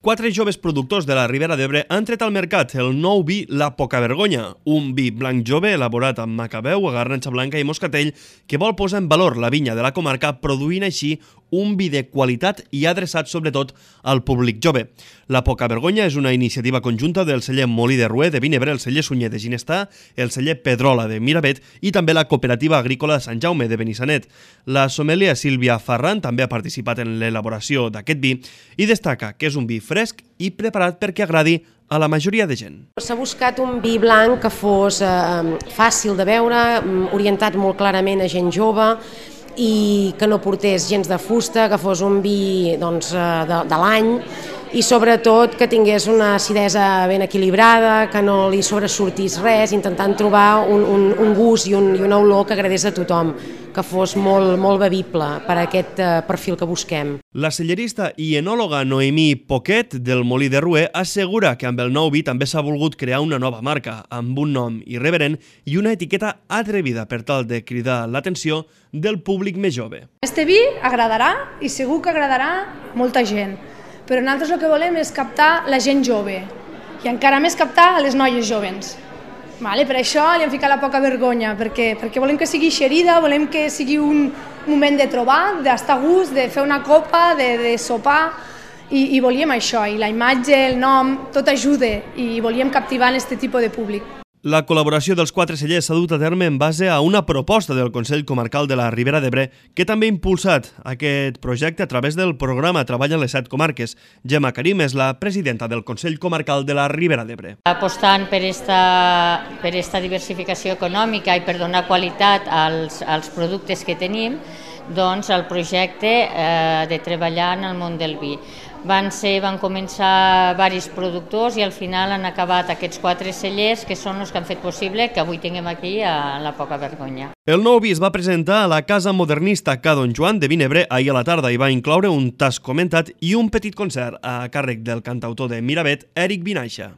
Quatre joves productors de la Ribera d'Ebre han tret al mercat el nou vi La Pocavergonya, un vi blanc jove elaborat amb macabeu, garnatxa blanca i moscatell que vol posar en valor la vinya de la comarca, produint així un vi de qualitat i adreçat sobretot al públic jove. La Pocavergonya és una iniciativa conjunta del celler Molí de Rué de Vinebre, el celler Sunyer de Ginestà, el celler Pedrola de Miravet i també la cooperativa agrícola Sant Jaume de Benissanet. La sommelier Sílvia Ferran també ha participat en l'elaboració d'aquest vi i destaca que és un vi fresc i preparat perquè agradi a la majoria de gent. S'ha buscat un vi blanc que fos fàcil de beure, orientat molt clarament a gent jove i que no portés gens de fusta, que fos un vi de l'any i sobretot que tingués una acidesa ben equilibrada, que no li sobresortís res, intentant trobar un gust i una olor que agradés a tothom, que fos molt bevible per a aquest perfil que busquem. La cellerista i enòloga Noemí Poquet del Molí de Rué assegura que amb el nou vi també s'ha volgut crear una nova marca, amb un nom irreverent i una etiqueta atrevida per tal de cridar l'atenció del públic més jove. Este vi agradarà i segur que agradarà molta gent, però nosaltres el que volem és captar la gent jove i encara més captar a les noies jovens. Per això li hem ficat La Pocavergonya, perquè volem que sigui xerida, volem que sigui un moment de trobar, d'estar a gust, de fer una copa, de sopar, i volíem això, i la imatge, el nom, tot ajuda, i volíem captivar aquest tipus de públic. La col·laboració dels quatre cellers s'ha dut a terme en base a una proposta del Consell Comarcal de la Ribera d'Ebre que també ha impulsat aquest projecte a través del programa Treball en les 7 comarques. Gemma Karim és la presidenta del Consell Comarcal de la Ribera d'Ebre. Apostant per esta diversificació econòmica i per donar qualitat als productes que tenim, doncs el projecte de treballar en el món del vi. Van començar diversos productors i al final han acabat aquests 4 cellers que són els que han fet possible que avui tinguem aquí a La Pocavergonya. El nou vi es va presentar a la Casa Modernista Ca Don Joan de Vinebre ahir a la tarda i va incloure un tast comentat i un petit concert a càrrec del cantautor de Miravet, Eric Vinaixa.